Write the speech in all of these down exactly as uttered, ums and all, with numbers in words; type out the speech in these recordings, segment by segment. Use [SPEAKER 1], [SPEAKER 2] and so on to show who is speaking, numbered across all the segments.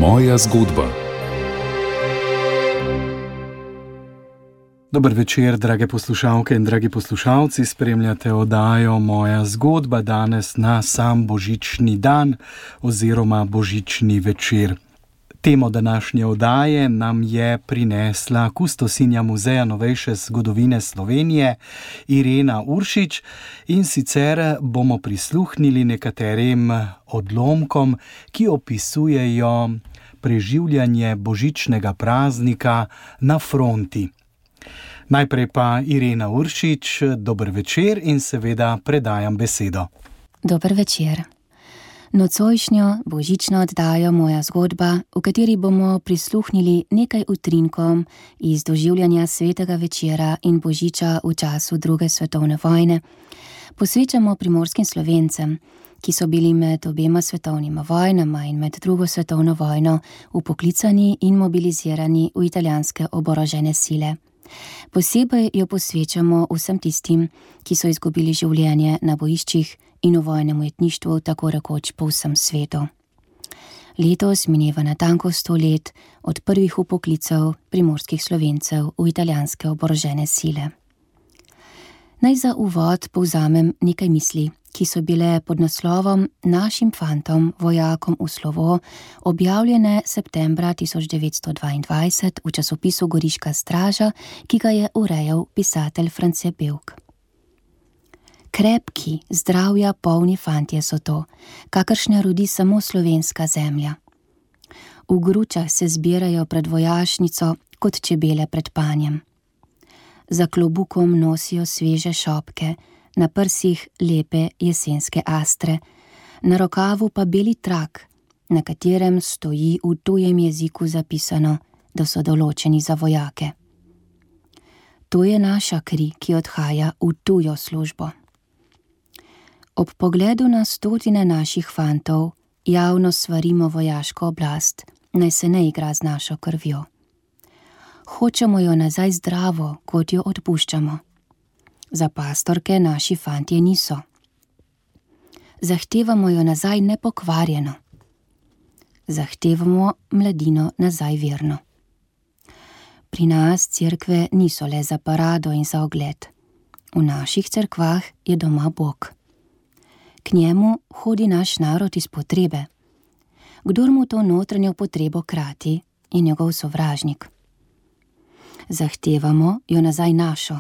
[SPEAKER 1] Moja zgodba. Dober večer, drage poslušalke in dragi poslušalci, spremljate oddajo Moja zgodba danes na sam božični dan oziroma božični večer. Temo današnje oddaje nam je prinesla kustosinja Muzeja novejše zgodovine Slovenije Irena Uršič in sicer bomo prisluhnili nekaterim odlomkom, ki opisujejo preživljanje božičnega praznika na fronti. Najprej pa Irena Uršič, dober večer in seveda predajam besedo.
[SPEAKER 2] Dober večer. Nocojšnjo božično oddajo Moja zgodba, v kateri bomo prisluhnili nekaj utrinkom iz doživljanja svetega večera in božiča v času druge svetovne vojne, posvečamo primorskim Slovencem, ki so bili med obema svetovnima vojnama in med drugo svetovno vojno vpoklicani in mobilizirani v italijanske oborožene sile. Posebej jo posvečamo vsem tistim, ki so izgubili življenje na bojiščih in v vojnem ujetništvu tako rekoč po vsem svetu. Letos mineva natanko sto let od prvih vpoklicev primorskih Slovencev v italijanske oborožene sile. Naj za uvod povzamem nekaj misli, ki so bile pod naslovom Našim fantom, vojakom v slovo, objavljene septembra tisoč devetsto dvaindvajset v časopisu Goriška straža, ki ga je urejal pisatelj France Bevk. Krepki, zdravja polni fantje so to, kakršne rodi samo slovenska zemlja. V gručah se zbirajo pred vojašnico kot čebele pred panjem. Za klobukom nosijo sveže šopke, na prsih lepe jesenske astre, na rokavu pa beli trak, na katerem stoji v tujem jeziku zapisano, da so določeni za vojake. To je naša kri, ki odhaja v tujo službo. Ob pogledu na stotine naših fantov javno svarimo vojaško oblast, naj se ne igra z našo krvjo. Hočemo jo nazaj zdravo, kot jo odpuščamo. Za pastorke naši fantje niso. Zahtevamo jo nazaj nepokvarjeno. Zahtevamo mladino nazaj verno. Pri nas cerkve niso le za parado in za ogled. V naših cerkvah je doma Bog. K njemu hodi naš narod iz potrebe. Kdor mu to notranjo potrebo krati, je njegov sovražnik. Zahtevamo jo nazaj našo.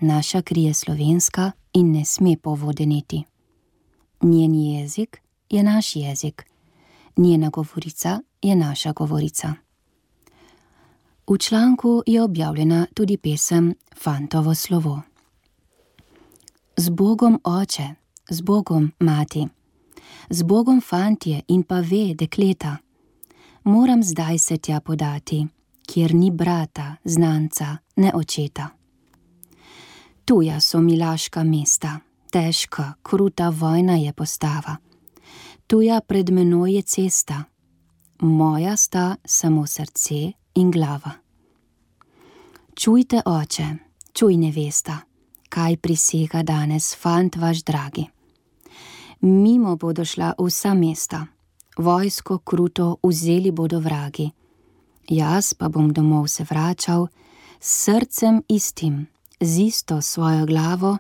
[SPEAKER 2] Naša kri je slovenska in ne sme povodeniti. Njen jezik je naš jezik. Njena govorica je naša govorica. V članku je objavljena tudi pesem Fantovo slovo. Z Bogom oče, z Bogom mati, z Bogom fantje in pa ve dekleta, moram zdaj se tja podati, kjer ni brata, znanca, ne očeta. Tuja so milaška mesta, težka, kruta vojna je postava. Tuja pred menoj je cesta, moja sta samo srce in glava. Čujte, oče, čuj nevesta, kaj prisega danes fant vaš dragi. Mimo bodo šla vsa mesta, vojsko kruto vzeli bodo vragi. Jaz pa bom domov se vračal s srcem istim, z isto svojo glavo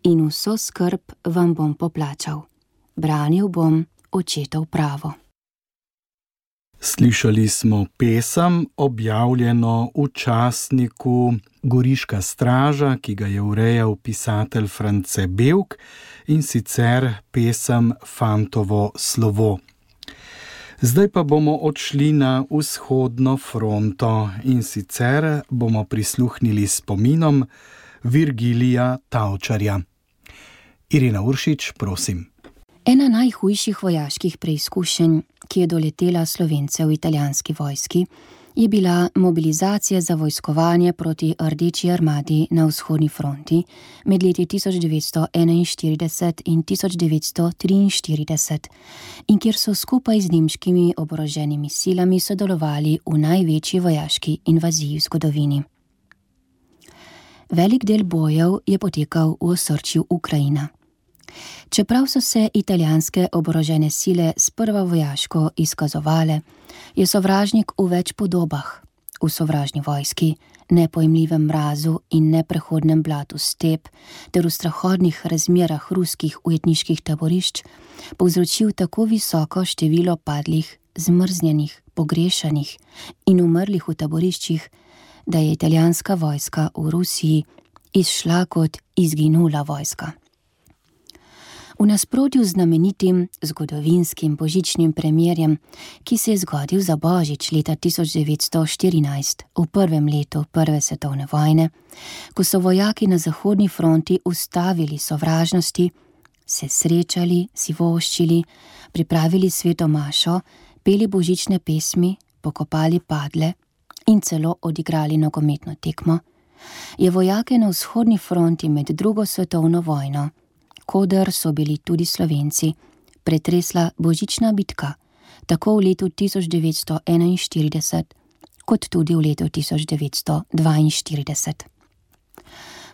[SPEAKER 2] in vso skrb vam bom poplačal. Branil bom očetov pravo.
[SPEAKER 1] Slišali smo pesem, objavljeno v časniku Goriška straža, ki ga je urejal pisatelj France Bevk, in sicer pesem Fantovo slovo. Zdaj pa bomo odšli na vzhodno fronto in sicer bomo prisluhnili spominom Virgilija Tavčarja. Irena Uršič, prosim.
[SPEAKER 2] Ena najhujših vojaških preizkušenj, ki je doletela Slovence v italijanski vojski, je bila mobilizacija za vojskovanje proti Rdeči armadi na vzhodni fronti med leti tisoč devetsto enainštirideset in tisoč devetsto triinštirideset in kjer so skupaj z nemškimi oboroženimi silami sodelovali v največji vojaški invaziji v zgodovini. Velik del bojev je potekal v osrčju Ukrajina. Čeprav so se italijanske oborožene sile sprva vojaško izkazovale, je sovražnik v več podobah, v sovražni vojski, nepojmljivem mrazu in neprehodnem blatu step ter v strahodnih razmerah ruskih ujetniških taborišč povzročil tako visoko število padlih, zmrznjenih, pogrešanih in umrlih v taboriščih, da je italijanska vojska v Rusiji izšla kot izginula vojska. V nasprotju z znamenitim zgodovinskim božičnim premirjem, ki se je zgodil za Božič leta tisoč devetsto štirinajst, v prvem letu prve svetovne vojne, ko so vojaki na zahodni fronti ustavili sovražnosti, se srečali, si voščili, pripravili sveto mašo, peli božične pesmi, pokopali padle in celo odigrali nogometno tekmo, je vojake na vzhodni fronti med drugo svetovno vojno, koder so bili tudi Slovenci, pretresla božična bitka, tako v letu tisoč devetsto enainštirideset, kot tudi v letu tisoč devetsto dvainštirideset.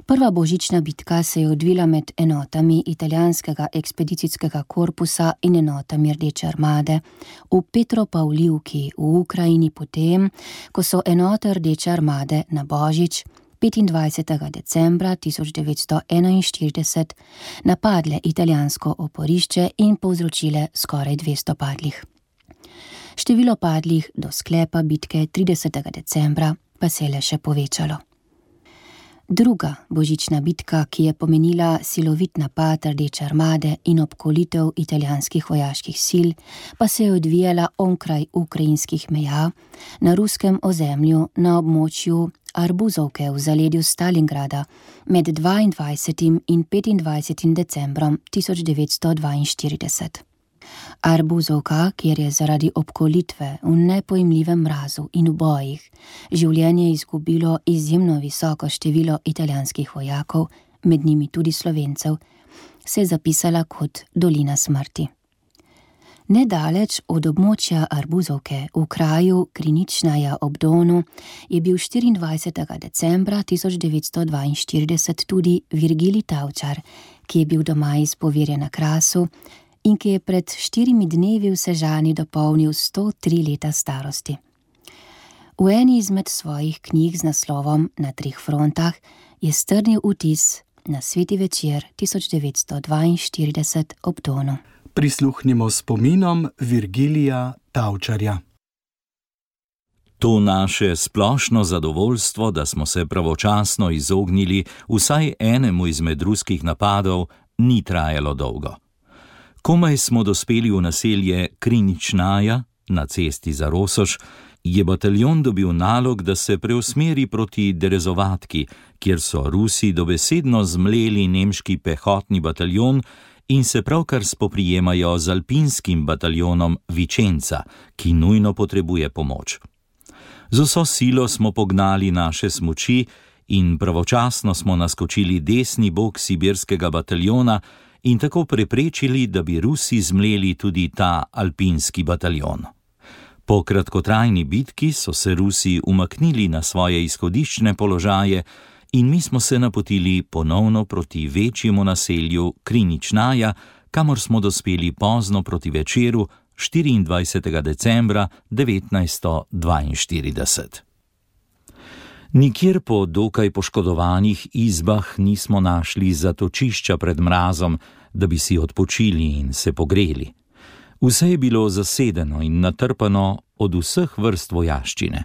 [SPEAKER 2] Prva božična bitka se je odvila med enotami italijanskega ekspedicijskega korpusa in enotami Rdeče armade v Petropavlivki v Ukrajini potem, ko so enote Rdeče armade na Božič petindvajsetega decembra tisoč devetsto enainštirideset napadle italijansko oporišče in povzročile skoraj dvesto padlih. Število padlih do sklepa bitke tridesetega decembra pa se je le še povečalo. Druga božična bitka, ki je pomenila silovit napad Rdeče armade in obkolitev italijanskih vojaških sil, pa se je odvijala onkraj ukrajinskih meja na ruskem ozemlju na območju Arbuzovke v zaledju Stalingrada med dvaindvajsetim in petindvajsetim decembrom tisoč devetsto dvainštirideset. Arbuzovka, kjer je zaradi obkolitve v nepojmljivem mrazu in v bojih življenje izgubilo izjemno visoko število italijanskih vojakov, med njimi tudi Slovencev, se je zapisala kot dolina smrti. Nedaleč od območja Arbuzovke v kraju Kriničnaja ob Donu je bil štiriindvajsetega decembra tisoč devetsto dvainštirideset tudi Virgilij Tavčar, ki je bil doma iz Povirja na Krasu in ki je pred štirimi dnevi v Sežani dopolnil sto tri leta starosti. V eni izmed svojih knjig z naslovom Na treh frontah je strnil vtis na sveti večer tisoč devetsto dvainštirideset ob Donu.
[SPEAKER 1] Prisluhnimo spominom Virgilija Tavčarja.
[SPEAKER 3] To naše splošno zadovoljstvo, da smo se pravočasno izognili vsaj enemu izmed ruskih napadov, ni trajalo dolgo. Komaj smo dospeli v naselje Kriničnaja na cesti za Rosoš, je bataljon dobil nalog, da se preusmeri proti Derezovatki, kjer so Rusi dobesedno zmleli nemški pehotni bataljon in se pravkar spoprijemajo z alpinskim bataljonom Vičenca, ki nujno potrebuje pomoč. Z vso silo smo pognali naše smuči in pravočasno smo naskočili desni bok sibirskega bataljona in tako preprečili, da bi Rusi zmleli tudi ta alpinski bataljon. Po kratkotrajni bitki so se Rusi umaknili na svoje izhodiščne položaje in mi smo se napotili ponovno proti večjemu naselju Kriničnaja, kamor smo dospeli pozno proti večeru štiriindvajsetega decembra devetnajststo dvainštirideset. Nikjer po dokaj poškodovanih izbah nismo našli zatočišča pred mrazom, da bi si odpočili in se pogreli. Vse je bilo zasedeno in natrpano od vseh vrst vojaščine.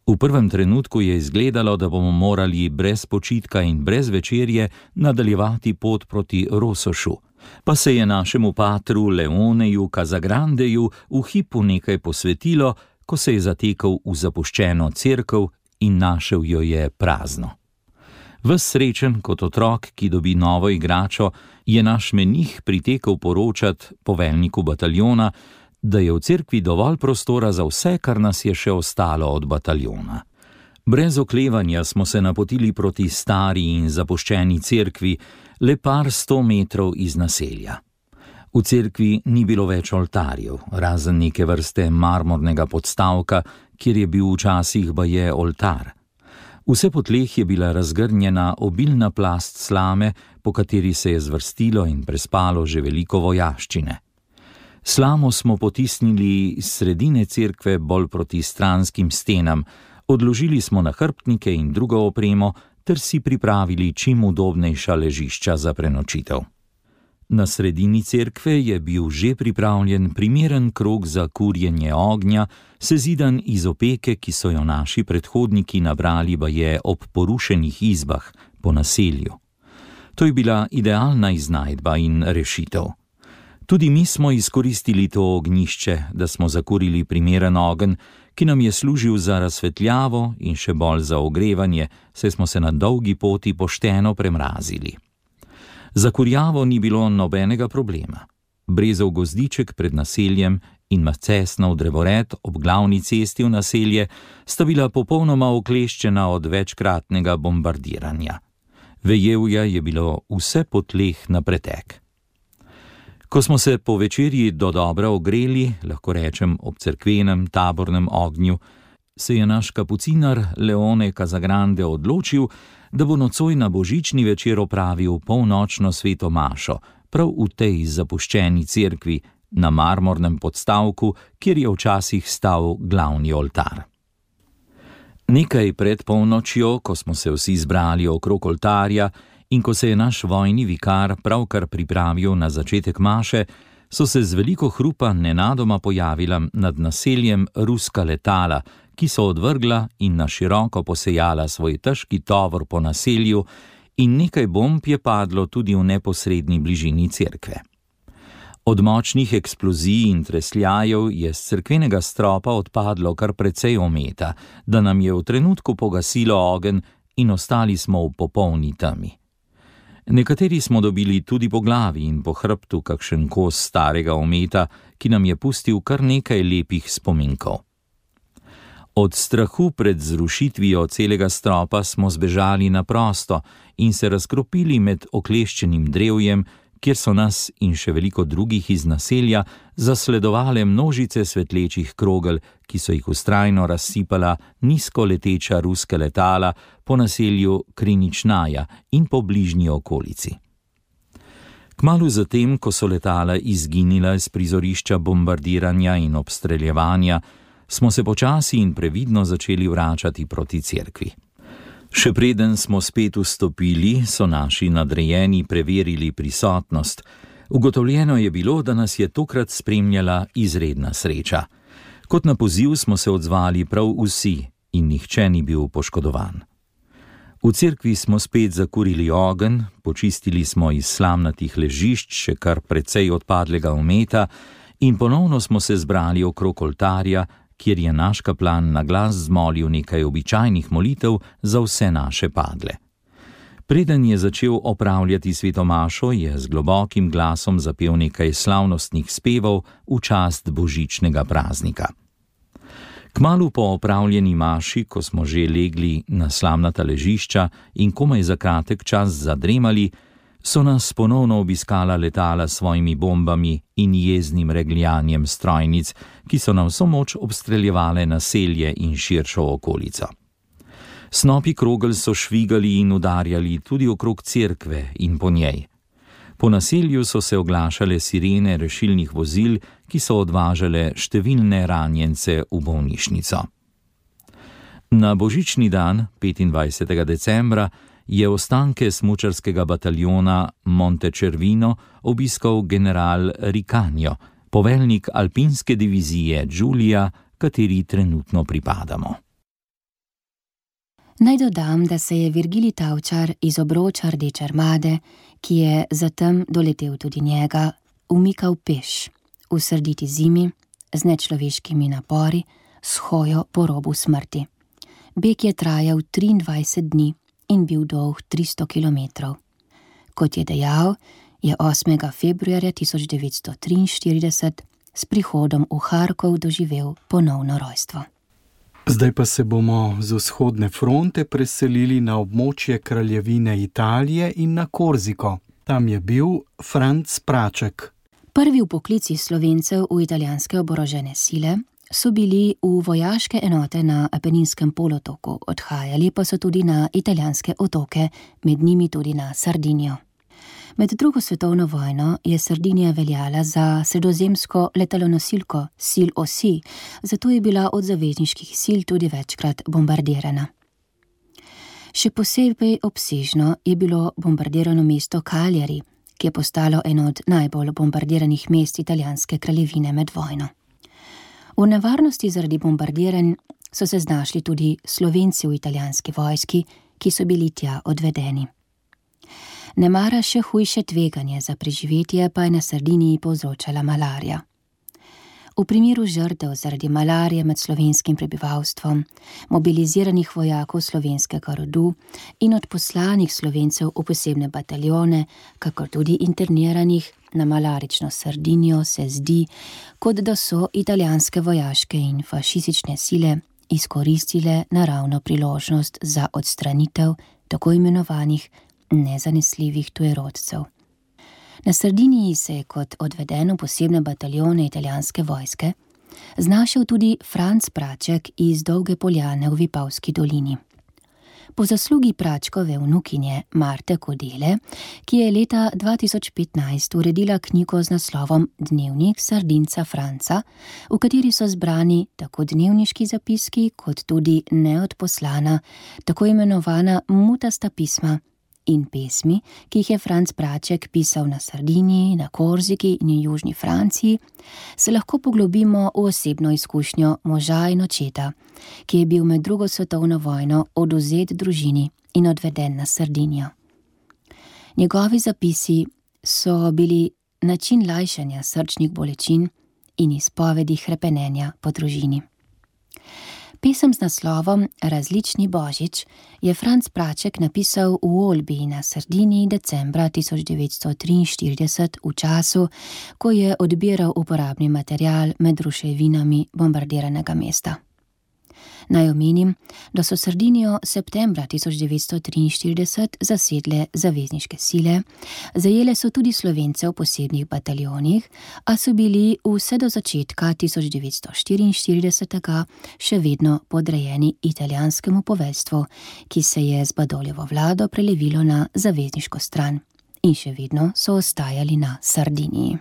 [SPEAKER 3] V prvem trenutku je izgledalo, da bomo morali brez počitka in brez večerje nadaljevati pot proti Rosošu, pa se je našemu patru Leoneju Kazagrandeju v hipu nekaj posvetilo, ko se je zatekal v zapuščeno cerkev in našel jo je prazno. Ves srečen kot otrok, ki dobi novo igračo, je naš menih pritekel poročat poveljniku bataljona, da je v cerkvi dovolj prostora za vse, kar nas je še ostalo od bataljona. Brez oklevanja smo se napotili proti stari in zapuščeni cerkvi, le par sto metrov iz naselja. V cerkvi ni bilo več oltarjev, razen neke vrste marmornega podstavka, kjer je bil včasih baje oltar. Vse po tleh je bila razgrnjena obilna plast slame, po kateri se je zvrstilo in prespalo že veliko vojaščine. Slamo smo potisnili iz sredine cerkve bolj proti stranskim stenam, odložili smo nahrbtnike in drugo opremo ter si pripravili čim udobnejša ležišča za prenočitev. Na sredini cerkve je bil že pripravljen primeren krog za kurjenje ognja, sezidan iz opeke, ki so jo naši predhodniki nabrali baje ob porušenih izbah po naselju. To je bila idealna iznajdba in rešitev. Tudi mi smo izkoristili to ognjišče, da smo zakurili primeren ogenj, ki nam je služil za razsvetljavo in še bolj za ogrevanje, saj smo se na dolgi poti pošteno premrazili. Za kurjavo ni bilo nobenega problema. Brezov gozdiček pred naseljem in macesnov drevored ob glavni cesti v naselje sta bila popolnoma okleščena od večkratnega bombardiranja. Vejevja je bilo vse po tleh na pretek. Ko smo se po večerji dodobra ogreli, lahko rečem ob cerkvenem tabornem ognju, se je naš kapucinar Leone Casagrande odločil, da bo nocoj na božični večer opravil polnočno sveto mašo, prav v tej zapuščeni cerkvi na marmornem podstavku, kjer je včasih stal glavni oltar. Nekaj pred polnočjo, ko smo se vsi zbrali okrog oltarja in ko se je naš vojni vikar pravkar pripravil na začetek maše, so se z veliko hrupa nenadoma pojavila nad naseljem ruska letala, ki so odvrgla in na široko posejala svoj težki tovor po naselju, in nekaj bomb je padlo tudi v neposredni bližini cerkve. Od močnih eksplozij in tresljajev je z cerkvenega stropa odpadlo kar precej ometa, da nam je v trenutku pogasilo ogenj in ostali smo v popolni temi. Nekateri smo dobili tudi po glavi in po hrbtu kakšen kos starega ometa, ki nam je pustil kar nekaj lepih spominkov. Od strahu pred zrušitvijo celega stropa smo zbežali na prosto in se razkropili med okleščenim drevjem, kjer so nas in še veliko drugih iz naselja zasledovale množice svetlečih krogel, ki so jih vztrajno razsipala nizko leteča ruska letala po naselju Kriničnaja in po bližnji okolici. Kmalu zatem, ko so letala izginila z prizorišča bombardiranja in obstreljevanja, smo se počasi in previdno začeli vračati proti cerkvi. Še preden smo spet vstopili, so naši nadrejeni preverili prisotnost. Ugotovljeno je bilo, da nas je tokrat spremljala izredna sreča. Kot na poziv smo se odzvali prav vsi in nihče ni bil poškodovan. V cerkvi smo spet zakurili ogenj, počistili smo iz slamnatih ležišč še kar precej odpadlega ometa in ponovno smo se zbrali okrog oltarja, kjer je naš kaplan na glas zmolil nekaj običajnih molitev za vse naše padle. Preden je začel opravljati svetomašo, je z globokim glasom zapel nekaj slavnostnih spevov v čast božičnega praznika. Kmalu po opravljeni maši, ko smo že legli na slamnata ležišča in komaj za kratek čas zadremali, so nas ponovno obiskala letala s svojimi bombami in jeznim regljanjem strojnic, ki so na vso moč obstreljevale naselje in širšo okolico. Snopi krogel so švigali in udarjali tudi okrog cerkve in po njej. Po naselju so se oglašale sirene rešilnih vozil, ki so odvažale številne ranjence v bolnišnico. Na božični dan, petindvajsetega decembra, je ostanke smučarskega bataljona Montecervino obiskal general Ricanio, poveljnik alpinske divizije Giulia, kateri trenutno pripadamo.
[SPEAKER 2] Naj dodam, da se je Virgilij Tavčar iz obroča Rdeče armade, ki je zatem doletel tudi njega, umikal peš, v srditi zimi, z nečloveškimi napori, s hojo po robu smrti. Beg je trajal triindvajset dni in bil dolg tristo kilometrov. Kot je dejal, je osmega februarja tisoč devetsto triinštirideset s prihodom v Harkov doživel ponovno rojstvo.
[SPEAKER 1] Zdaj pa se bomo z vzhodne fronte preselili na območje kraljevine Italije in na Korziko. Tam je bil Franc Praček.
[SPEAKER 2] Prvi vpoklici Slovencev v italijanske oborožene sile so bili v vojaške enote na Apeninskem polotoku, odhajali pa so tudi na italijanske otoke, med njimi tudi na Sardinijo. Med drugo svetovno vojno je Sardinija veljala za sredozemsko letalonosilko sil osi, zato je bila od zavezniških sil tudi večkrat bombardirana. Še posebej obsežno je bilo bombardirano mesto Cagliari, ki je postalo eno od najbolj bombardiranih mest italijanske kraljevine med vojno. V nevarnosti zaradi bombardiranj so se znašli tudi Slovenci v italijanski vojski, ki so bili tja odvedeni. Nemara še hujše tveganje za preživetje pa je na Sardiniji povzročala malarija. V primeru žrtev zaradi malarije med slovenskim prebivalstvom, mobiliziranih vojakov slovenskega rodu in odposlanih Slovencev v posebne bataljone, kakor tudi interniranih na malarično Sardinijo, se zdi, kot da so italijanske vojaške in fašistične sile izkoristile naravno priložnost za odstranitev tako imenovanih nezanesljivih tujerodcev. Na Sardiniji se je kot odveden v posebne bataljone italijanske vojske znašel tudi Franc Praček iz Dolge Poljane v Vipavski dolini. Po zaslugi Pračkove vnukinje Marte Kodele, ki je leta dva tisoč petnajst uredila knjigo z naslovom Dnevnik Sardinca Franca, v kateri so zbrani tako dnevniški zapiski kot tudi neodposlana, tako imenovana mutasta pisma in pesmi, ki jih je Franc Praček pisal na Sardiniji, na Korziki in v južni Franciji, se lahko poglobimo v osebno izkušnjo moža in očeta, ki je bil med drugo svetovno vojno odvzet družini in odveden na Sardinijo. Njegovi zapisi so bili način lajšanja srčnih bolečin in izpovedi hrepenenja po družini. Pesem z naslovom Različni božič je Franc Praček napisal v Olbiji na Sardiniji decembra tisoč devetsto triinštirideset v času, ko je odbiral uporabni material med ruševinami bombardiranega mesta. Naj omenim, da so Sardinijo septembra tisoč devetsto triinštirideset zasedle zavezniške sile, zajele so tudi Slovence v posebnih bataljonih, a so bili vse do začetka tisoč devetsto štiriinštiridesetega še vedno podrejeni italijanskemu poveljstvu, ki se je z Badoljevo vlado prelevilo na zavezniško stran in še vedno so ostajali na Sardiniji.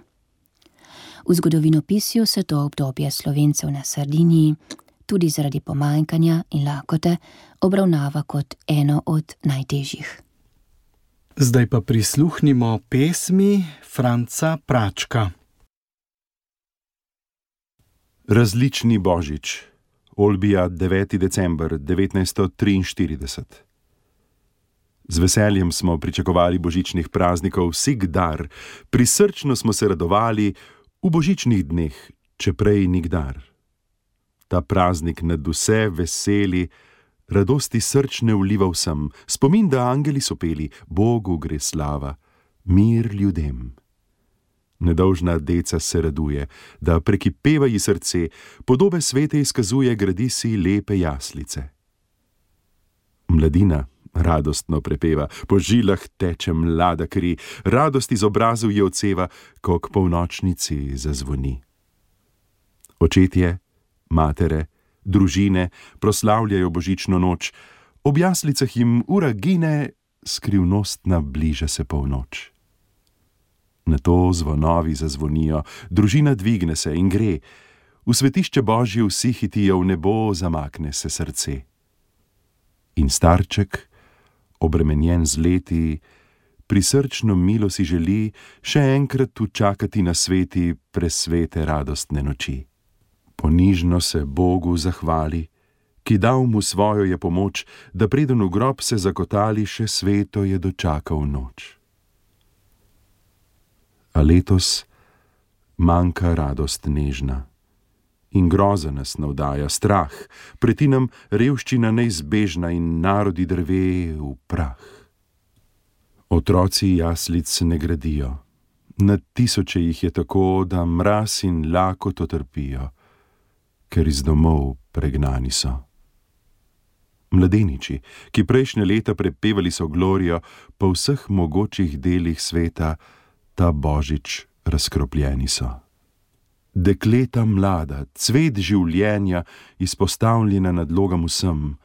[SPEAKER 2] V zgodovinopisju se to obdobje Slovencev na Sardiniji tudi zaradi pomanjkanja in lakote obravnava kot eno od najtežjih.
[SPEAKER 1] Zdaj pa prisluhnimo pesmi Franca Pračka.
[SPEAKER 4] Različni božič, Olbija, deveti december devetnajststo triinštirideset. Z veseljem smo pričakovali božičnih praznikov vsikdar, prisrčno smo se radovali v božičnih dneh, če prej nikdar. Ta praznik nad vse veseli, radosti srčne vliva vsem, spomin, da angeli so peli, Bogu gre slava, mir ljudem. Nedolžna deca se raduje, da prekipeva ji srce, podobe svete izkazuje, gradi si lepe jaslice. Mladina radostno prepeva, po žilah teče mlada kri, radost iz obrazov je odseva, ko k polnočnici zazvoni. Očetje, matere, družine proslavljajo božično noč, ob jaslicah jim ura gine, skrivnostna bliža se polnoč. Nato zvonovi zazvonijo, družina dvigne se in gre, v svetišče Božje vsi hitijo, v nebo zamakne se srce. In starček, obremenjen z leti, prisrčno milo si želi še enkrat učakati na sveti presvete radostne noči. Ponižno se Bogu zahvali, ki dal mu svojo je pomoč, da preden v grob se zakotali, še sveto je dočakal noč. A letos manjka radost nežna in groza nas navdaja, strah, preti nam revščina neizbežna in narodi drve v prah. Otroci jaslic ne gradijo, na tisoče jih je tako, da mraz in lakoto trpijo, ker iz domov pregnani so. Mladeniči, ki prejšnje leta prepevali so glorijo, po vseh mogočih delih sveta, ta božič razkropljeni so. Dekleta mlada, cvet življenja, izpostavljena nadlogam vsem,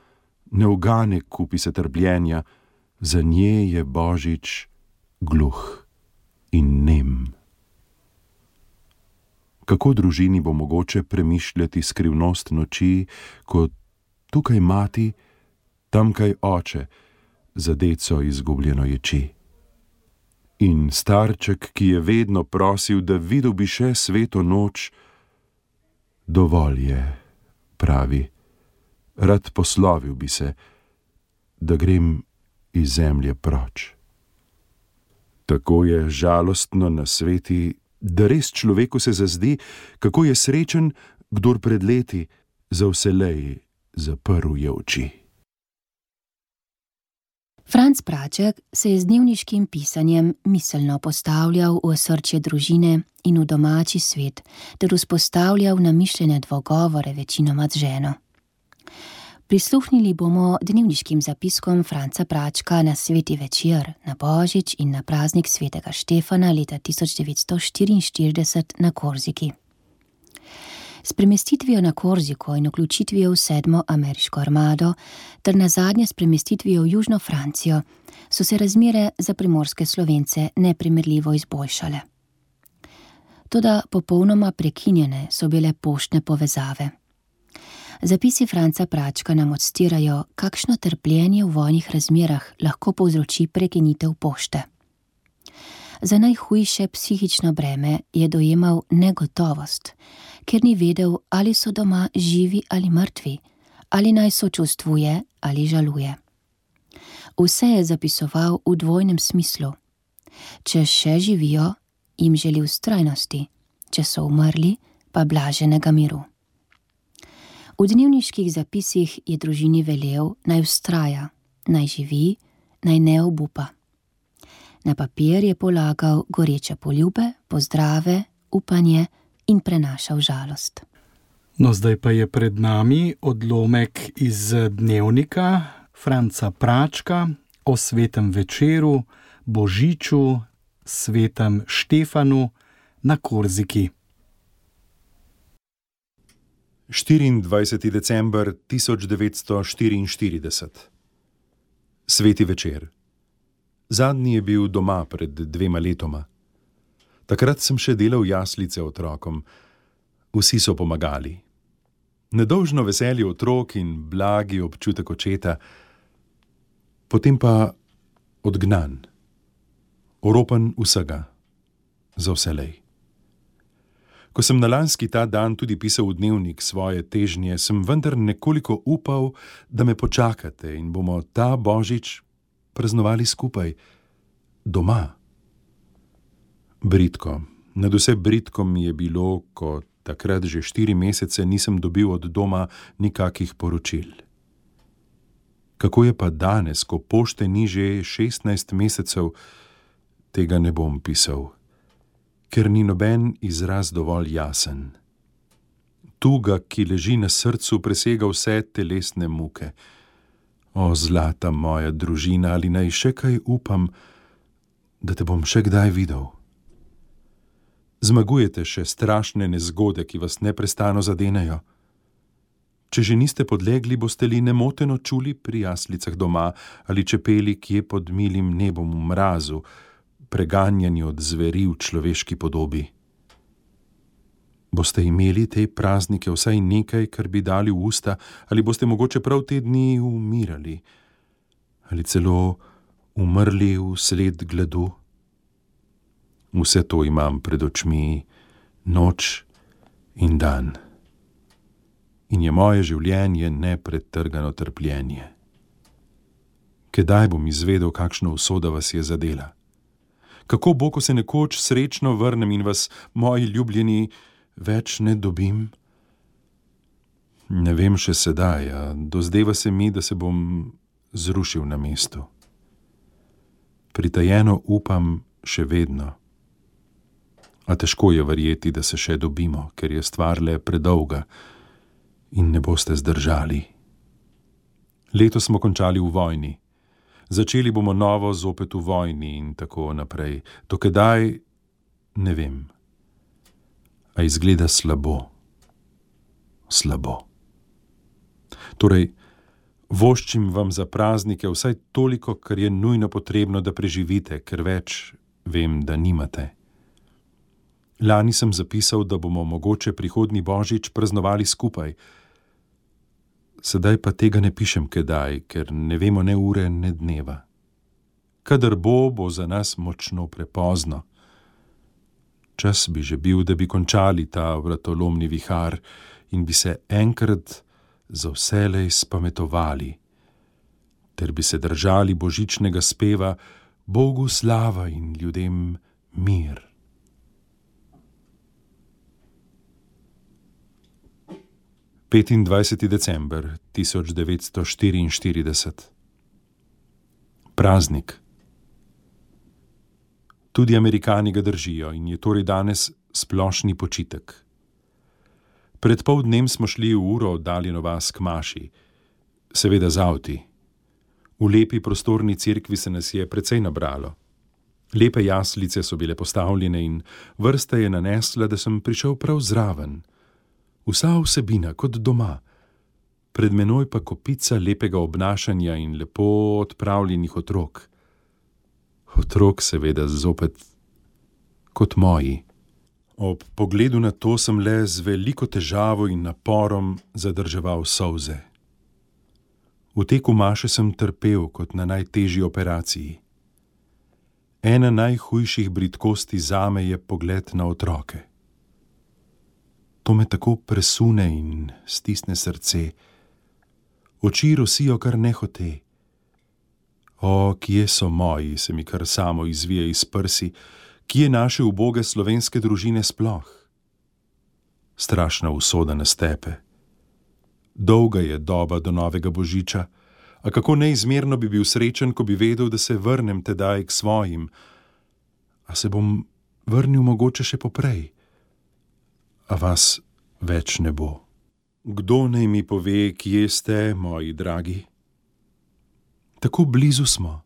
[SPEAKER 4] ne ugane kupi se trpljenja, za nje je božič gluh in nem. Kako družini bo mogoče premišljati skrivnost noči, ko tukaj mati, tamkaj oče, za deco izgubljeno ječi. In starček, ki je vedno prosil, da videl bi še sveto noč, dovolj je, pravi, rad poslovil bi se, da grem iz zemlje proč. Tako je žalostno na sveti, da res človeku se zazdi, kako je srečen, kdor pred leti za vselej zaprl je oči.
[SPEAKER 2] Franc Praček se je z dnevniškim pisanjem miselno postavljal v osrčje družine in v domači svet, ter vzpostavljal namišljene dvogovore večinoma z ženo. Prisluhnili bomo dnevniškim zapiskom Franca Pračka na sveti večer, na Božič in na praznik svetega Štefana leta tisoč devetsto štiriinštirideset na Korziki. S premestitvijo na Korziko in vključitvijo v sedmo ameriško armado ter nazadnje s premestitvijo v Južno Francijo so se razmere za primorske Slovence neprimerljivo izboljšale. Toda popolnoma prekinjene so bile poštne povezave. Zapisi Franca Pračka nam odstirajo, kakšno trpljenje v vojnih razmerah lahko povzroči prekinitev pošte. Za najhujše psihično breme je dojemal negotovost, ker ni vedel, ali so doma živi ali mrtvi, ali naj sočustvuje ali žaluje. Vse je zapisoval v dvojnem smislu. Če še živijo, jim želi vztrajnosti, če so umrli, pa blaženega miru. V dnevniških zapisih je družini velel, naj vztraja, naj živi, naj ne obupa. Na papir je polagal goreče poljube, pozdrave, upanje in prenašal žalost.
[SPEAKER 1] No, zdaj pa je pred nami odlomek iz dnevnika Franca Pračka o svetem večeru, Božiču, svetem Štefanu na Korziki.
[SPEAKER 4] štiriindvajseti december tisoč devetsto štiriinštirideset. Sveti večer. Zadnji je bil doma pred dvema letoma. Takrat sem še delal jaslice otrokom. Vsi so pomagali. Nedolžno veselje otrok in blagi občutek očeta, potem pa odgnan, oropan vsega, za vselej. Ko sem na lanski ta dan tudi pisal v dnevnik svoje težnje, sem vendar nekoliko upal, da me počakate in bomo ta Božič praznovali skupaj, doma. Bridko, nadvse bridko mi je bilo, ko takrat že štiri mesece nisem dobil od doma nikakih poročil. Kako je pa danes, ko pošte ni že šestnajst mesecev, tega ne bom pisal, ker ni noben izraz dovolj jasen. Tuga, ki leži na srcu, presega vse telesne muke. O, zlata moja družina, ali naj še kaj upam, da te bom še kdaj videl? Zmagujete še strašne nezgode, ki vas neprestano zadenejo. Če že niste podlegli, boste li nemoteno čuli pri jaslicah doma ali čepeli kje pod milim nebom v mrazu, preganjani od zveri v človeški podobi. Boste imeli te praznike vsaj nekaj, kar bi dali v usta, ali boste mogoče prav te dni umirali, ali celo umrli vsled gladu? Vse to imam pred očmi, noč in dan. In je moje življenje nepretrgano trpljenje. Kedaj bom izvedel, kakšno usoda vas je zadela? Kako bo, ko se nekoč srečno vrnem in vas, moji ljubljeni, več ne dobim? Ne vem še sedaj, a dozdeva se mi, da se bom zrušil na mestu. Pritajeno upam še vedno. A težko je verjeti, da se še dobimo, ker je stvar le predolga in ne boste zdržali. Leto smo končali v vojni. Začeli bomo novo zopet v vojni in tako naprej. Dokedaj, ne vem. A izgleda slabo. Slabo. Torej, voščim vam za praznike vsaj toliko, kar je nujno potrebno, da preživite, ker več vem, da nimate. Lani sem zapisal, da bomo mogoče prihodnji božič praznovali skupaj. Sedaj pa tega ne pišem kedaj, ker ne vemo ne ure, ne dneva. Kadar bo, bo za nas močno prepozno. Čas bi že bil, da bi končali ta vratolomni vihar in bi se enkrat za vselej spametovali, ter bi se držali božičnega speva Bogu slava in ljudem mir. petindvajseti december tisoč devetsto štiriinštirideset. Praznik. Tudi Američani ga držijo in je torej danes splošni počitek. Pred pol dnem smo šli v uro oddaljeno vas k maši, seveda z avti. V lepi prostorni cerkvi se nas je precej nabralo. Lepe jaslice so bile postavljene in vrsta je nanesla, da sem prišel prav zraven. Vsa vsebina kot doma, pred menoj pa kopica lepega obnašanja in lepo odpravljenih otrok. Otrok seveda zopet kot moji. Ob pogledu na to sem le z veliko težavo in naporom zadrževal solze. V teku maše sem trpel kot na najtežji operaciji. Ena najhujših bridkosti zame je pogled na otroke. To me tako presune in stisne srce. Oči rosijo kar nehote. O, kje so moji, se mi kar samo izvije iz prsi, kje naše uboge slovenske družine sploh? Strašna usoda nas tepe. Dolga je doba do novega božiča, a kako neizmerno bi bil srečen, ko bi vedel, da se vrnem tedaj k svojim. A se bom vrnil mogoče še poprej? A vas več ne bo. Kdo naj mi pove, kje ste, moji dragi? Tako blizu smo.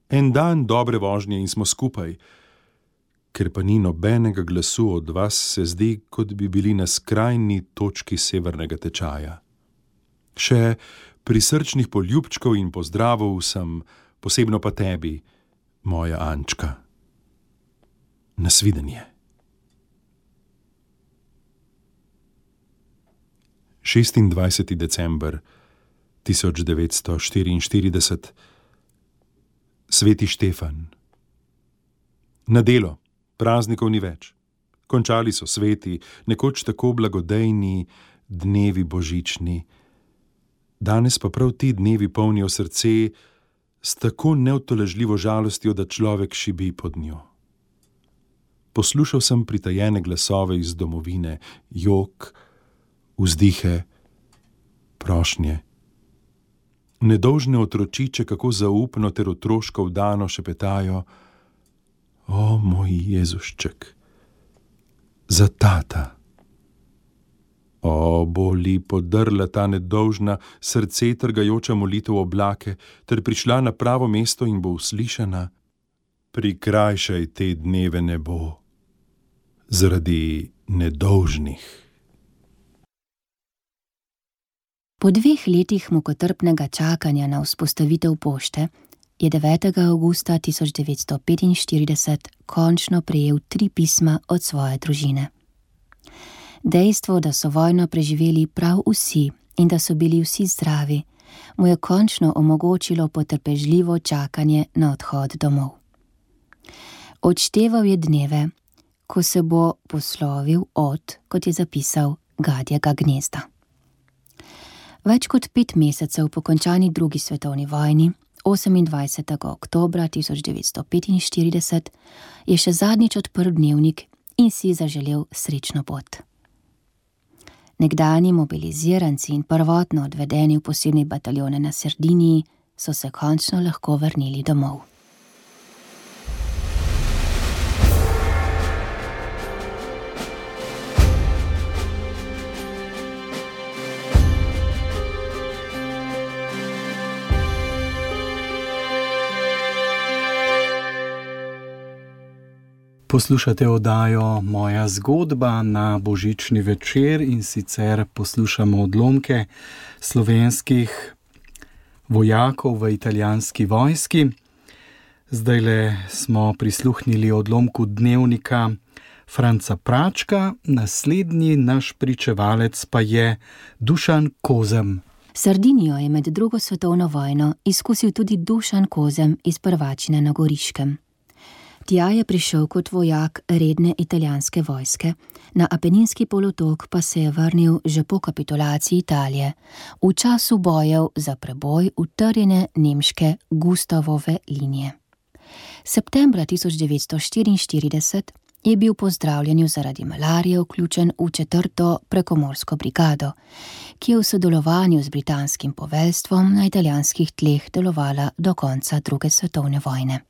[SPEAKER 4] En dan dobre vožnje in smo skupaj. Ker pa ni nobenega glasu od vas, se zdi, kot bi bili na skrajni točki severnega tečaja. Še prisrčnih poljubčkov in pozdravov sem, posebno pa tebi, moja Ančka. Nasvidenje. šestindvajseti december tisoč devetsto štiriinštirideset. Sveti Štefan. Na delo, praznikov ni več. Končali so sveti, nekoč tako blagodejni dnevi božični. Danes pa prav ti dnevi polnijo srce s tako neutolažljivo žalostjo, da človek šibi pod njo. Poslušal sem pritajene glasove iz domovine, jok, vzdihe, prošnje. Nedolžne otročiče kako zaupno ter otroško vdano šepetajo: O, moj Jezušček, za tata. O, boli podrla ta nedolžna, srce trgajoča molitev oblake, ter prišla na pravo mesto in bo uslišana: Prikrajšaj te dneve nebo zaradi nedolžnih.
[SPEAKER 2] Po dveh letih mukotrpnega čakanja na vzpostavitev pošte je devetega avgusta tisoč devetsto petinštirideset končno prejel tri pisma od svoje družine. Dejstvo, da so vojno preživeli prav vsi in da so bili vsi zdravi, mu je končno omogočilo potrpežljivo čakanje na odhod domov. Odšteval je dneve, ko se bo poslovil od, kot je zapisal, gadjega gnezda. Več kot pet mesecev po končani drugi svetovni vojni, osemindvajsetega oktobra tisoč devetsto petinštirideset, je še zadnjič odprl dnevnik in si zaželel srečno pot. Nekdani mobiliziranci in prvotno odvedeni v posebne bataljone na Sardiniji so se končno lahko vrnili domov.
[SPEAKER 1] Poslušate oddajo Moja zgodba na božični večer in sicer poslušamo odlomke slovenskih vojakov v italijanski vojski. Zdajle smo prisluhnili odlomku dnevnika Franca Pračka, naslednji naš pričevalec pa je Dušan Kozem.
[SPEAKER 2] Sardinijo je med drugo svetovno vojno izkusil tudi Dušan Kozem iz Prvačine na Goriškem. Tja je prišel kot vojak redne italijanske vojske, na Apeninski polotok pa se je vrnil že po kapitulaciji Italije, v času bojev za preboj utrjene nemške Gustavove linije. Septembra tisoč devetsto štiriinštirideset je bil po zdravljenju zaradi malarije vključen v četrto prekomorsko brigado, ki je v sodelovanju z britanskim poveljstvom na italijanskih tleh delovala do konca druge svetovne vojne.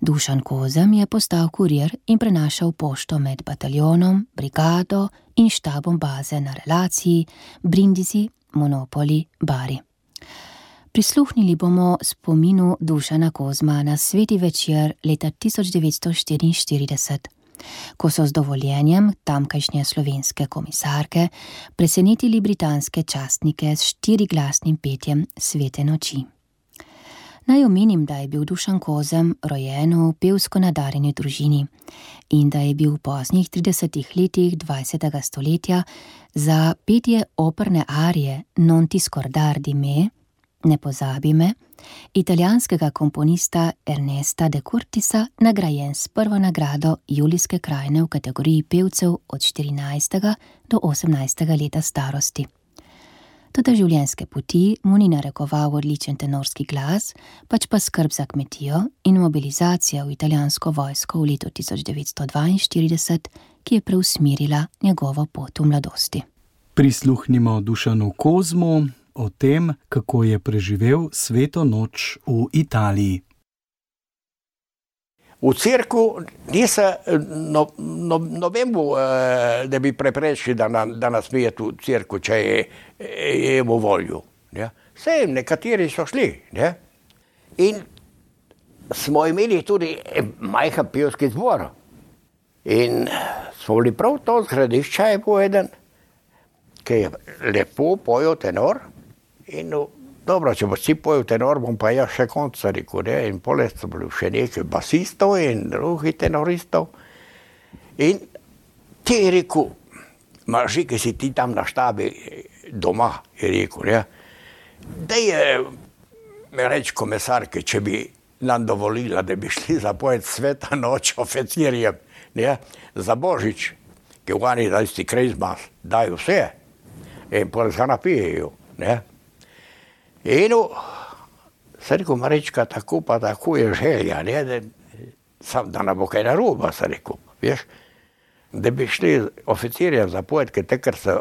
[SPEAKER 2] Dušan Kozem je postal kurir in prenašal pošto med bataljonom, brigado in štabom baze na relaciji Brindisi, Monopoli, Bari. Prisluhnili bomo spominu Dušana Kozma na sveti večer leta tisoč devetsto štiriinštirideset, ko so z dovoljenjem tamkajšnje slovenske komisarke presenetili britanske častnike s štiriglasnim petjem Svete noči. Naj omenim, da je bil Dušan Kozem rojen v pevsko nadarjeni družini in da je bil v poznih tridesetih letih dvajsetega stoletja za petje operne arije Non ti scordar di me, Ne pozabi me, italijanskega komponista Ernesta de Curtisa nagrajen s prvo nagrado Julijske krajine v kategoriji pevcev od štirinajstega do osemnajstega leta starosti. Toda življenjske poti mu ni narekoval odličen tenorski glas, pač pa skrb za kmetijo in mobilizacija v italijansko vojsko v letu tisoč devetsto dvainštirideset, ki je preusmerila njegovo pot v mladosti.
[SPEAKER 1] Prisluhnimo Dušanu Kozmu o tem, kako je preživel sveto noč v Italiji.
[SPEAKER 5] V cerku nisem no, no, nobenemu, da bi preprečili, da, na, da nas smijeti v cerku, če je, je imel voljo. Ne? Vse, nekateri so šli. Ne? In smo imeli tudi majhen pevski zbor. In smo bili prav to zgradišče, je bil eden, ki je lepo pojel tenor. In no, dobro, če bo si pojel tenor, bom pa jaz še konca rekel, ne? In poleg so bili še nekaj basistov in drugih tenoristov. In ti je rekel, Marži, ki si ti tam na štabi doma, je rekel, ne? Da je me reči komisarke, če bi nam dovolila, da bi šli zapojeti sveta noč oficirjem, ne? Za Božič, ki vani da isti Christmas, dajo vse in poleg ga napijejo, ne? In se rekel, Marička, tako pa tako je želja, ne, da, sam, da ne bo kaj naroba, se rekel, veš, da bi šli oficirjem zapojeti, ker takrat so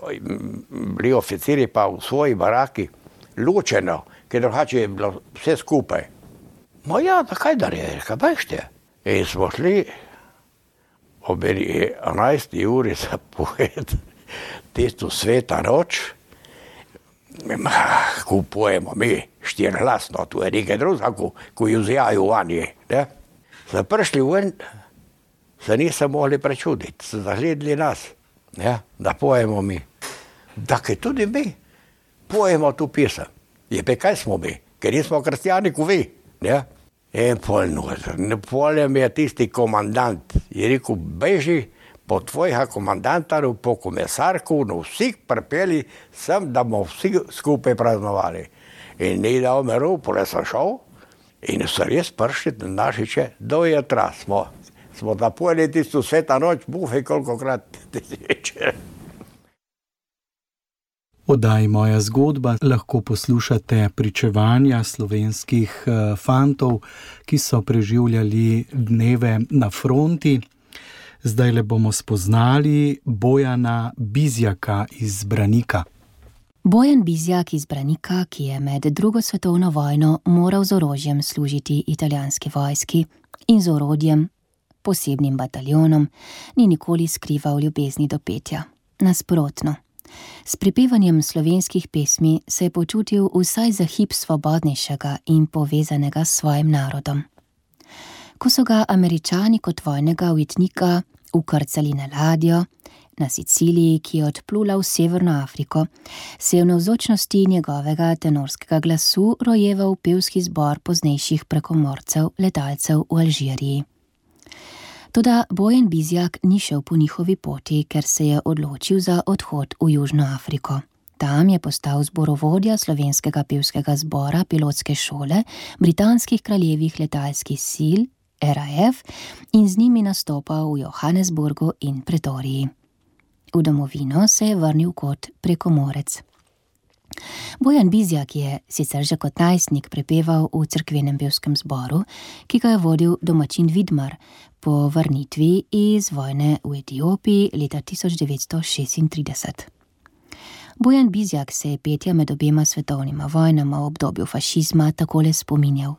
[SPEAKER 5] bili oficiri pa v svoji baraki ločeno, ker drugače je bilo vse skupaj. No ja, zakaj da je, kaj bešte? In smo šli ob enajsti uri zapojeti tisto sveta noč. Ko pojemo mi štirglasno, tu je nekaj drugega, ko, ko jo zjajo vanje. So prišli ven, se niso mogli prečuditi, so zagledali nas, ne? Da pojemo mi. Dakle, tudi mi pojemo tu pisem. Je pa kaj smo mi, ker nismo kristjani, ko vi. Ne? In pol noter, polem je tisti komandant, je rekel, beži po tvojega komandanta, po komisarku, no vsi pripeli sem, da bomo vsi skupaj praznovali. In ni dal miru, pole sem šel in so res prišli na našiče, do jutra smo, smo napojili tisto sveta noč, bufej kolikokrat tisti večer.
[SPEAKER 1] Oddaji Moja zgodba lahko poslušate pričevanja slovenskih fantov, ki so preživljali dneve na fronti. Zdajle bomo spoznali Bojana Bizjaka iz Branika.
[SPEAKER 2] Bojan Bizjak iz Branika, ki je med drugo svetovno vojno moral z orožjem služiti italijanski vojski in z orodjem, posebnim bataljonom, ni nikoli skrival ljubezni do petja. Nasprotno. S prepevanjem slovenskih pesmi se je počutil vsaj za hip svobodnejšega in povezanega s svojim narodom. Ko so ga Američani kot vojnega ujetnika ukrcali na ladjo, na Siciliji, ki je odplula v Severno Afriko, se je v navzočnosti njegovega tenorskega glasu rojeval pevski zbor poznejših prekomorcev, letalcev v Alžiriji. Toda Bojan Bizjak ni šel po njihovi poti, ker se je odločil za odhod v Južno Afriko. Tam je postal zborovodja slovenskega pevskega zbora pilotske šole britanskih kraljevih letalskih sil R A F in z njimi nastopal v Johannesburgu in Pretoriji. V domovino se je vrnil kot prekomorec. Bojan Bizjak je sicer že kot najstnik prepeval v cerkvenem pevskem zboru, ki ga je vodil domačin Vidmar po vrnitvi iz vojne v Etiopiji leta tisoč devetsto šestintrideset. Bojan Bizjak se je petja med obema svetovnima vojnama v obdobju fašizma takole spominjal.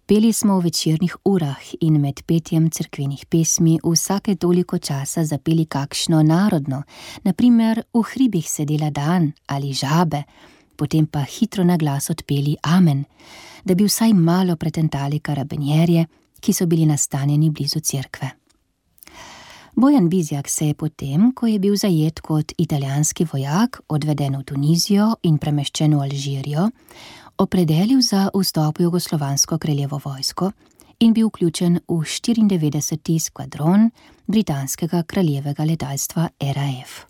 [SPEAKER 2] Peli smo v večernih urah in med petjem cerkvenih pesmi vsake toliko časa zapeli kakšno narodno, na primer v hribih sedela dan ali žabe, potem pa hitro na glas odpeli amen, da bi vsaj malo pretentali karabinjerje, ki so bili nastanjeni blizu cerkve. Bojan Bizjak se je potem, ko je bil zajet kot italijanski vojak, odveden v Tunizijo in premeščen v Alžirijo, opredelil za vstop v jugoslovansko kraljevo vojsko in bil vključen v štiriindevetdeseti skvadron britanskega kraljevega letalstva R A F.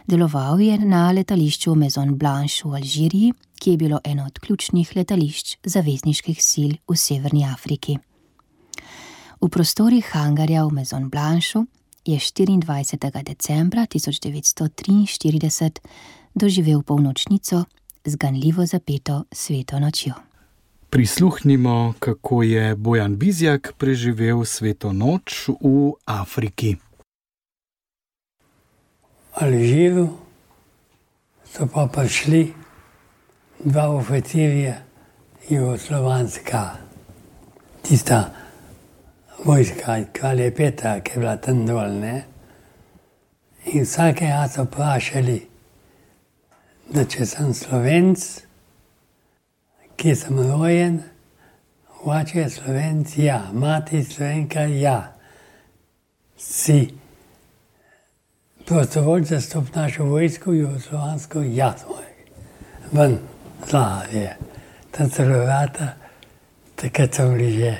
[SPEAKER 2] Deloval je na letališču Maison Blanche v Alžiriji, ki je bilo eno od ključnih letališč zavezniških sil v Severni Afriki. V prostorih hangarja v Maison Blanchu je štiriindvajsetega decembra tisoč devetsto triinštirideset doživel polnočnico z ganljivo zapeto sveto nočjo.
[SPEAKER 1] Prisluhnimo, kako je Bojan Bizjak preživel sveto noč v Afriki.
[SPEAKER 6] V Alžiru so pa prišli dva oficirja jugoslovanska, tista vojska kralja Petra, ki je bila tam dol, ne? In vsakega so vprašali, da če sem Slovenc, kje sem rojen, oče je Slovenc, ja, mati Slovenka, ja. Si prostovoljc za stop našo vojsko, jugoslovansko, ja, svoj. Ven, zlaharje. Tam so vrata, takrat so bili že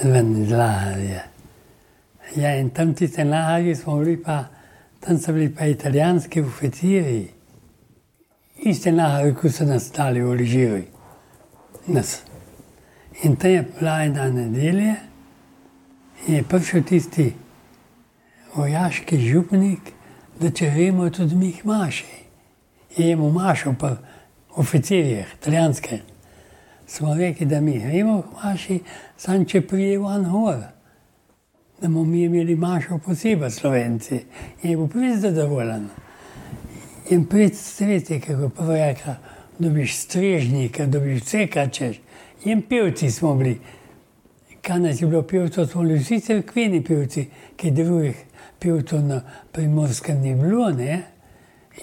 [SPEAKER 6] ven zlaharje. Ja, in tam tiste laharje smo bili pa, tam so bili pa italijanski oficiri. Iste laharje, ko so nas dali v Alžiru. Nas. In tam je bila ena nedelja in je prišel tisti vojaški župnik, da če vemo tudi mi maši. Je jemu mašal pa oficirjih, italijanske. Smo rekli, da mi vemo maši, sam če prije van hor. Da bomo mi imeli mašo posebej Slovenci. In je bil prvi zadovoljen. In pred streti, kako prvo rekla, dobiš strežnika, dobiš vse, kar češ. In pevci smo bili. Kaj nas je bilo pevcev, smo bili vsi cerkveni pevci, ki drugih pevcev na Primorskem ni bilo, ne?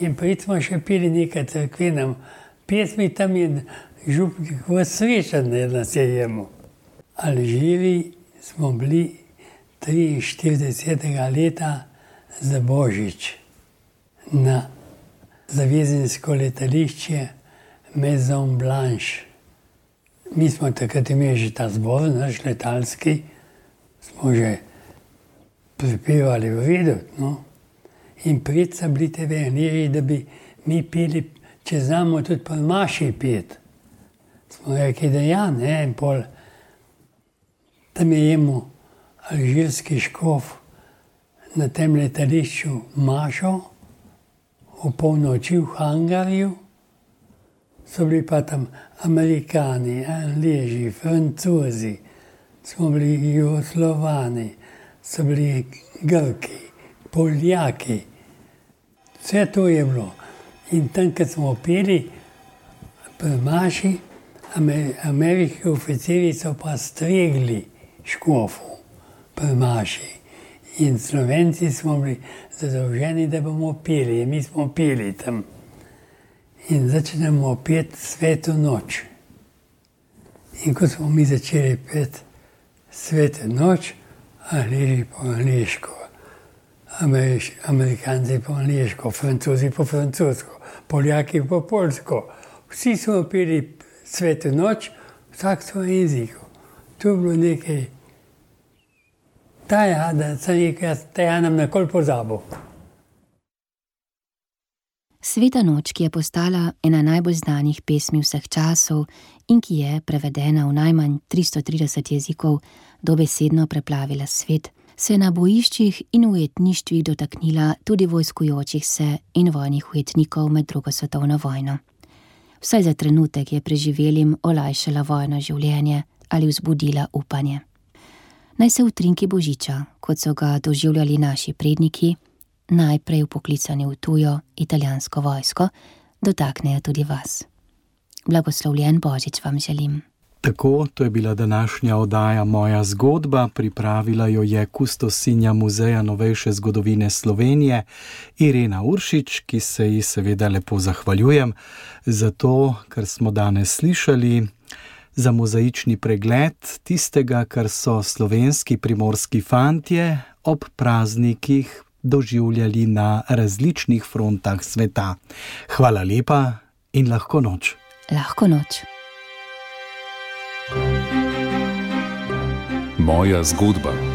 [SPEAKER 6] In pred smo še peli nekaj cerkvenem pesmi, tam je župnik v srečen, da nas je jemu. Alžiri smo bili triinštiridesetega leta za Božič na zavezensko letališče Maison Blanche. Mi smo takrat imeli že ta zbor, naš letalski, smo že pripevali v redu, no. In pred so bili te verniri, da bi mi peli, če znamo tudi po maši pet. Smo rekli, da ja, ne, in pol tam je jemu alžirski škof na tem letališču mašo, v polnoči v hangarju, so bili pa tam Amerikani, Angleži, Francozi, smo bili Jugoslovani, so bili Grki, Poljaki. Vse to je bilo. In tam, kad smo peli pri maši, ameriški oficiri so pa stregli škofu pri maši. In Slovenci smo bili zadolženi, da bomo peli. In mi smo peli tam. In začnemo peti sveto noč. In ko smo mi začeli peti sveto noč, angliži po angliško. Ameriš, Amerikanci po angliško, Francozi po francosko, Poljaki po polsko. Vsi smo peli Sveto noč, vsak svoj jeziku. To je bilo nekaj, taja, da sem rekel, jaz taja nam nekoli pozabil.
[SPEAKER 2] Sveta noč, ki je postala ena najbolj znanih pesmi vseh časov in ki je prevedena v najmanj tristo trideset jezikov, dobesedno preplavila svet, se je na bojiščih in ujetništvih dotaknila tudi vojskujočih se in vojnih ujetnikov med drugo svetovno vojno. Vsaj za trenutek je preživelim olajšala vojno življenje ali vzbudila upanje. Naj se utrinki božiča, kot so ga doživljali naši predniki, najprej vpoklicani v tujo italijansko vojsko, dotaknejo tudi vas. Blagoslovljen božič vam želim.
[SPEAKER 1] Tako, to je bila današnja oddaja Moja zgodba, pripravila jo je kustosinja Muzeja novejše zgodovine Slovenije Irena Uršič, ki se ji seveda lepo zahvaljujem za to, kar smo danes slišali, za mozaični pregled tistega, kar so slovenski primorski fantje ob praznikih doživljali na različnih frontah sveta. Hvala lepa in lahko noč.
[SPEAKER 2] Lahko noč.
[SPEAKER 7] Moja zgodba.